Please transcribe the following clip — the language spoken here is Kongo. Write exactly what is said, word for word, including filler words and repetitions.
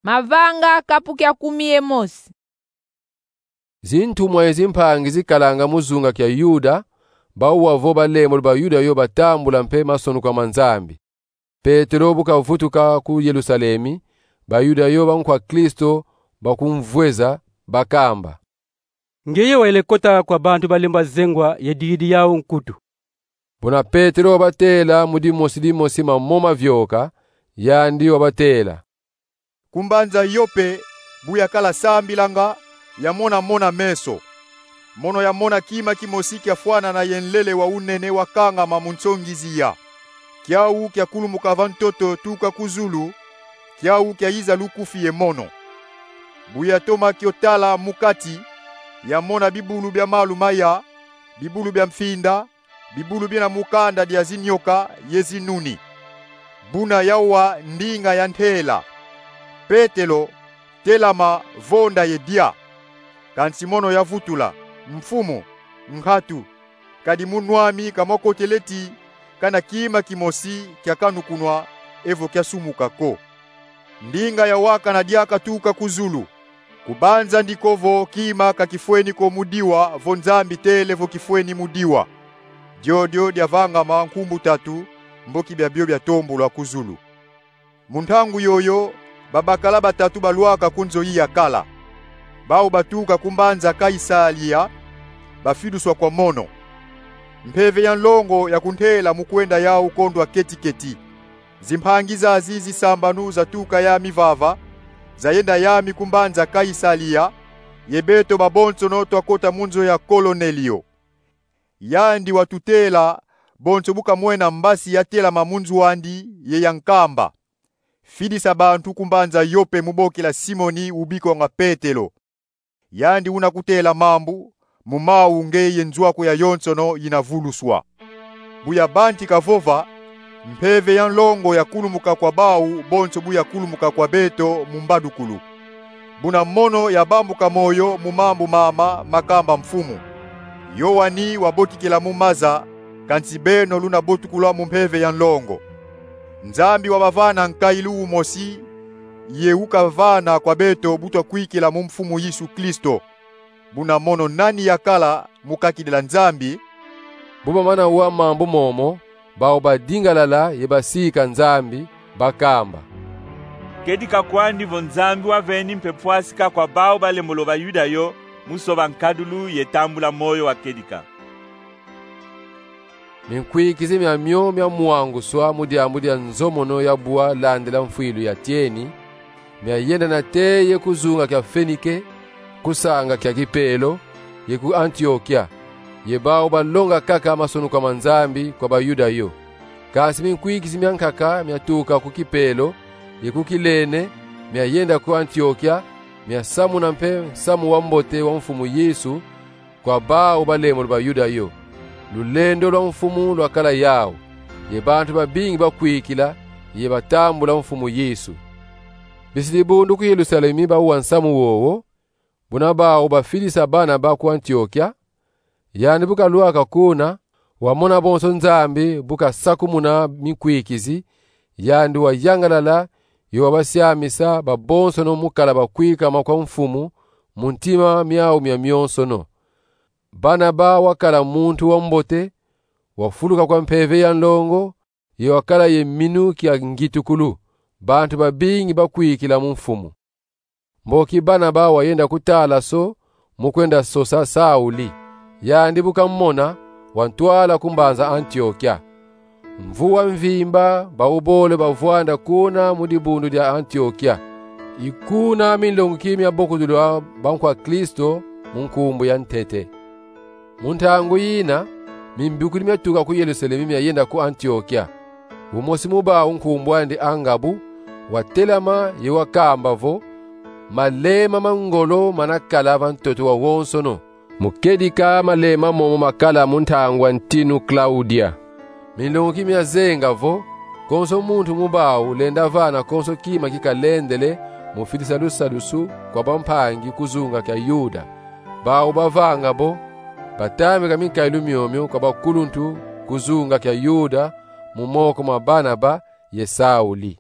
Mavanga kapu kia kumi ye mosi. Zintumwa ye zimpangi zikalanga mu zunga kia Yuda, bau wau vo balembolo ba Yuda yo batambula mpe masonukwa ma Nzambi. Petelo bu kavutuka ku Yelusalemi, ba Yuda yo bankwa Kristo bakumvweza, bakamba: Ngeye wele kota kwa bantu balemba zengwa ye digidi yau nkutu. Buna Petelo wabatela mu dimosi dimosi mamoma mavioka, yandi wabatela: Ku mbanza Yope, bu yakala sambilanga, yamona mona-meso. Mono yamona kima kimosi kiafwanana ye nlele wa unene wakangama mu nsongi ziya. Kiau kiakulumuka va ntoto tuka ku zulu, kiau kiayiza lukufi ye mono. Bu yatoma kio tala mu kati, yamona bibulu bia malu maya, bibulu bia mfinda, bibulu bina mu kanda dia zinyoka ye zinuni. Buna yawa ndinga ya ntela: Petelo, telama, vonda ye dia. Kansi mono yavutula: Mfumu, nkatu, kadi mu nwa ami ka mwakotele ti kana kima kimosi kiakanukunwa evo kiasumuka ko. Ndinga yawakana diaka tuka ku zulu: Kubanza ndi ko vo kima ka kifweni ko mu diwa vo Nzambi tele vo kifweni mu diwa. Diodio diavangama nkumbu tatu, mboki biabio biatombulwa ku zulu. Mu ntangu yoyo, babakala batatu balwaka ku nzo yi yakala. Bau batuka ku mbanza Kaisalia, bafidiswa kwa mono. Mpeve ya nlongo yakuntela mu kwenda yau kondwa keti-keti. Zimpangi zazi zisambanu zatuka yami vava, zayenda yami ku mbanza Kaisalia, ye beto babonsono twakota mu nzo ya Kolonelio. Yandi watutela bonso bu kamwena mbasi yatelama mu nzo andi ye yankamba: Fidisa bantu ku mbanza Yope mu bokila Simoni ubikwanga Petelo. Yandi una kutela mambu, mu mau nge ye nzwaku yayonsono yina vuluswa. Bu yabantika vova, mpeve ya nlongo yakulumuka kwa bau bonso bu yakulumuka kwa beto mu mbadukulu. Buna mono yabambuka moyo mu mambu mama makamba mfumu: Yoani wabotikila mu maza, kansi beno luna botukula mu mpeve ya nlongo. Nzambi wabavana nkailu umosi, ye ukavana kwa beto bu twakwikila mu Mfumu Yesu Kristo. Buna mono nani yakala mu kakidila Nzambi? Bu bamana wa mambu momo, bau badingalala ye basika Nzambi, bakamba: Kedika kwandi vo Nzambi waveni mpe pwasika kwa bau balembolo ba Yuda yo mu soba nkadulu ye tambula moyo wa kedika. Minkwikizi miamio mia mwanguswa mu diambu dia nzomono ya bwa landila mfwilu ya tieni, miayenda nate ye ku zunga kia Fenike, ku sanga kia Kipelo, ye ku Antiokia, ye bau balonga kaka masonukwa ma Nzambi kwa ba Yuda yo. Kansi minkwikizi miankaka miatuka ku Kipelo ye ku Kilene, miayenda ku Antiokia, miasamuna mpe nsamu wa mbote wa Mfumu Yesu kwa bau balembolo ba Yuda yo. Lulendo lwa Mfumu lwakala yau, ye bantu babingi bakwikila ye batambula Mfumu Yesu. Bisi dibundu ku Yelusalemi bawa nsamu wowo, buna bau bafidisa Banaba ku Antiokia. Yandi bu kalwaka kuna, wamona bonso Nzambi bu kasakumuna minkwikizi, yandi wayangalala, ye wabasiamisa babonsono mu kala bakwikama kwa Mfumu mu ntima miau miamionsono. Banaba wakala muntu wa mbote, wafuluka kwa mpeve ya nlongo, ye wakala ye minu kia ngitukulu, bantu babingi bakwikila mu Mfumu. Mboki Banaba wayenda ku Talaso mu kwenda sosa Sauli. Yandi bu kamona, wantwala ku mbanza Antiokia. Mvu wa mvimba, bau bole bavwanda kuna mu dibundu dia Antiokia. I kuna minlonguki mia bokudulu a bankwa Kristo mu nkumbu ya ntete. Mu ntangu yina, mimbikudi miatuka ku Yelusalemi miayenda ku Antiokia. Umosi mu bau nkumbu andi Angabu, watelama ye wakamba vo: Malema ma ngolo manakala va ntoto wawonsono, mu kedika malema momo makala mu ntangu a ntinu Klaudia. Minlonguki miazenga vo: Konso muntu mu bau lenda vana konso kima kikalendele mu fidisa lusadusu kwa bampangi ku zunga kia Yuda. Bau bavanga bo, batambika minkailu miomio kwa bakuluntu ku zunga kia Yuda mu moko ma Banaba ye Sauli.